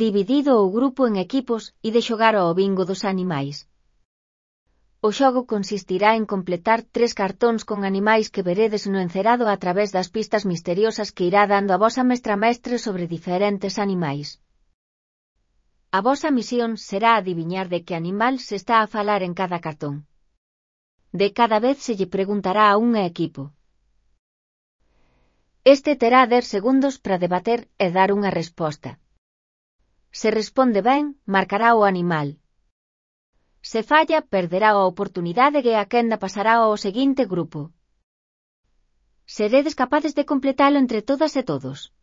dividido o grupo en equipos e de xogar ao bingo dos animais. O xogo consistirá en completar 3 cartóns con animais que veredes no encerado a través das pistas misteriosas que irá dando a vosa mestre sobre diferentes animais. A vosa misión será adiviñar de que animal se está a falar en cada cartón. De cada vez se lle preguntará a un equipo. Este terá 10 segundos para debater e dar unha resposta. Se responde ben, marcará o animal. Se falla, perderá a oportunidade e a quenda pasará ao seguinte grupo. Seredes capaces de completalo entre todas e todos.